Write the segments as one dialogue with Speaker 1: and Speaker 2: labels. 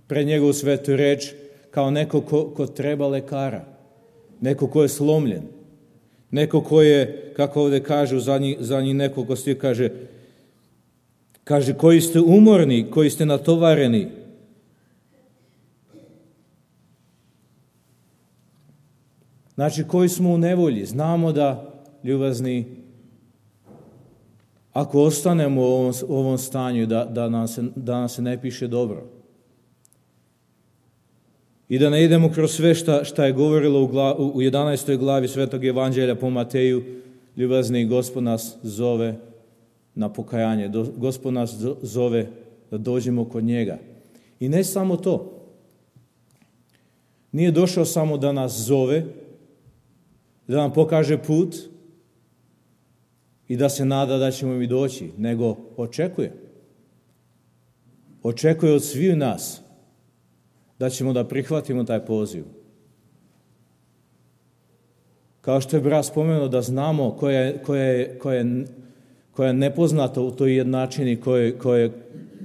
Speaker 1: pred njegovu svetu reč kao neko ko treba lekara, neko ko je slomljen, neko ko je, kako ovdje kaže u zadnjih nekoliko stih, kaže koji ste umorni, koji ste natovareni. Znači, koji smo u nevolji. Znamo da, ljubazni, ako ostanemo u ovom stanju, da nam se ne piše dobro. I da ne idemo kroz sve šta je govorilo u 11. glavi Svetog Evanđelja po Mateju, ljubazni, Gospod nas zove na pokajanje. Gospod nas zove da dođemo kod njega. I ne samo to. Nije došao samo da nas zove, da nam pokaže put i da se nada da ćemo mi doći, nego očekuje. Očekuje od svih nas da ćemo da prihvatimo taj poziv. Kao što je brat spomenuo, da znamo koja je nepoznata u toj jednačini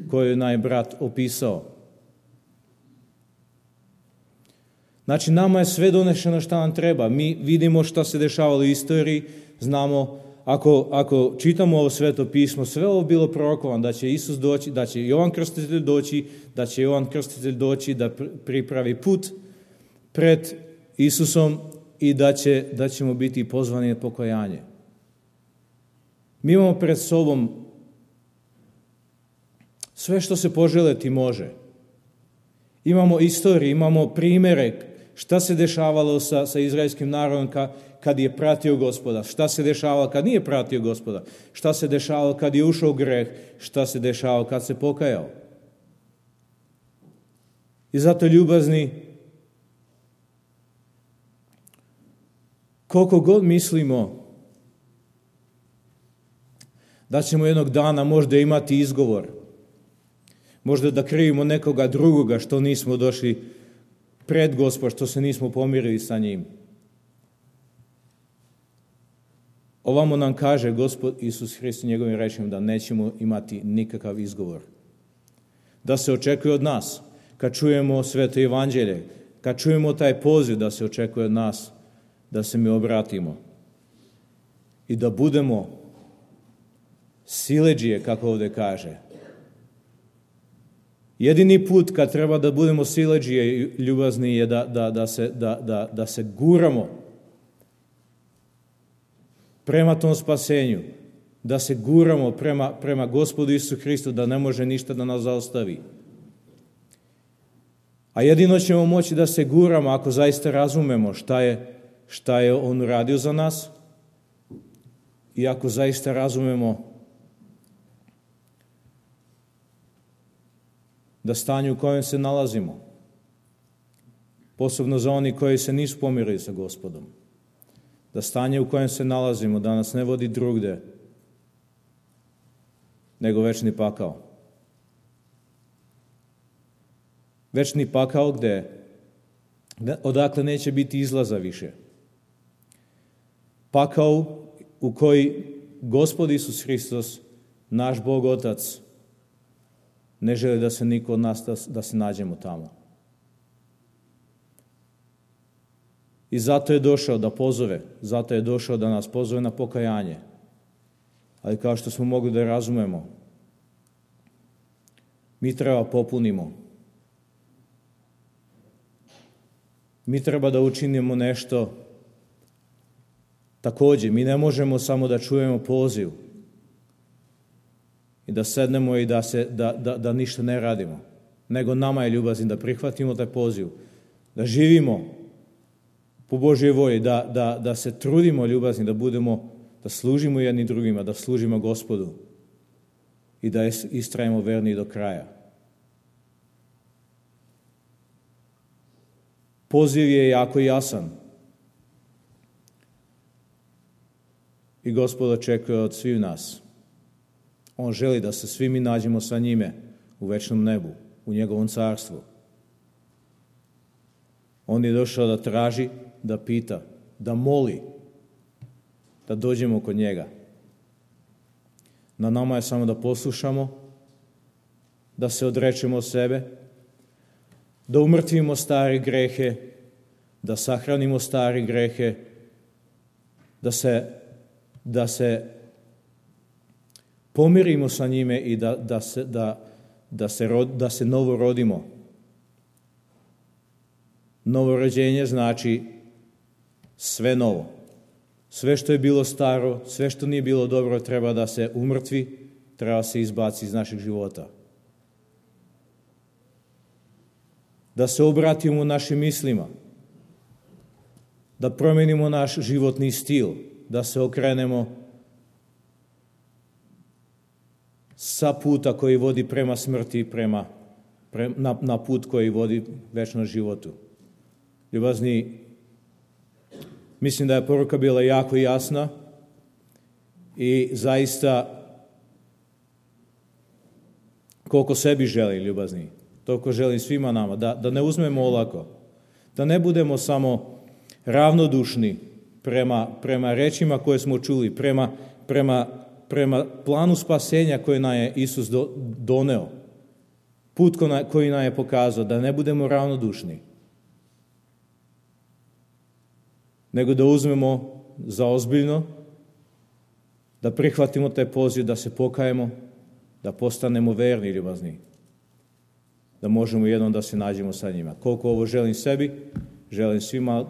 Speaker 1: koju je naj brat opisao. Znači, nama je sve donešeno šta nam treba. Mi vidimo šta se dešavalo u istoriji, znamo, ako čitamo ovo sveto pismo, sve ovo bilo prorokovano, da će Isus doći, da će Jovan Krstitelj doći, da će Jovan Krstitelj doći da pripravi put pred Isusom i da ćemo biti pozvani na pokajanje. Mi imamo pred sobom sve što se poželeti može. Imamo istoriju, imamo primjere šta se dešavalo sa izraelskim narodom kad je pratio Gospoda, šta se dešavalo kad nije pratio Gospoda, šta se dešavalo kad je ušao u greh, šta se dešavalo kad se pokajao. I zato, ljubazni, koliko god mislimo da ćemo jednog dana možda imati izgovor, možda da krivimo nekoga drugoga što nismo došli pred Gospod, što se nismo pomirili sa njim. Ovamo nam kaže Gospod Isus Hrist njegovim rečima da nećemo imati nikakav izgovor. Da se očekuje od nas, kad čujemo sveto evanđelje, kad čujemo taj poziv, da se očekuje od nas da se mi obratimo i da budemo siledžije, kako ovdje kaže. Jedini put kad treba da budemo siledžije, ljubazni, je da se guramo prema tom spasenju, da se guramo prema Gospodu Isusu Hristu, da ne može ništa da nas zaustavi. A jedino ćemo moći da se guramo ako zaista razumemo šta je On uradio za nas i ako zaista razumemo da stanje u kojem se nalazimo, posebno za oni koji se nisu pomirili sa Gospodom, da stanje u kojem se nalazimo, da nas ne vodi drugde nego večni pakao. Večni pakao odakle neće biti izlaza više. Pakao u koji Gospod Isus Hristos, naš Bog Otac, ne želi da se niko od nas da se nađemo tamo. I zato je došao da pozove, zato je došao da nas pozove na pokajanje. Ali kao što smo mogli da razumemo, mi treba popunimo. Mi treba da učinimo nešto također. Mi ne možemo samo da čujemo poziv i da sednemo i da ništa ne radimo. Nego nama je ljubazni da prihvatimo taj poziv, da živimo po Božjoj volji, da se trudimo ljubazni, da služimo jedni drugima, da služimo Gospodu i da istrajemo verni do kraja. Poziv je jako jasan i Gospod očekuje od svih nas. On želi da se svi mi nađemo sa njime u večnom nebu, u njegovom carstvu. On je došao da traži, da pita, da moli, da dođemo kod njega. Na nama je samo da poslušamo, da se odrečemo od sebe, da umrtvimo stare grehe, da sahranimo stare grehe, da se pomirimo sa njime i da se novo rodimo. Novorođenje znači sve novo. Sve što je bilo staro, sve što nije bilo dobro treba da se umrtvi, treba se izbaci iz naših života. Da se obratimo našim mislima, da promenimo naš životni stil, da se okrenemo sa puta koji vodi prema smrti na put koji vodi večnom životu. Ljubazni, mislim da je poruka bila jako jasna i zaista koliko sebi želi, ljubazni, toliko želim svima nama, da ne uzmemo olako, da ne budemo samo ravnodušni prema rečima koje smo čuli, prema planu spasenja koji nam je Isus doneo, put koji nam je pokazao, da ne budemo ravnodušni, nego da uzmemo za ozbiljno, da prihvatimo taj poziv, da se pokajemo, da postanemo verni, ljubazni, da možemo jednom da se nađemo sa njima. Koliko ovo želim sebi, želim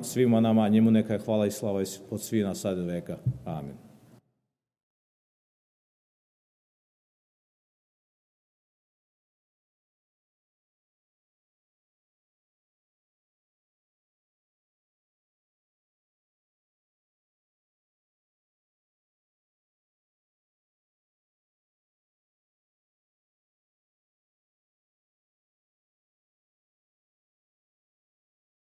Speaker 1: svima nama, njemu neka je hvala i slava od svih nas sad do veka. Amen.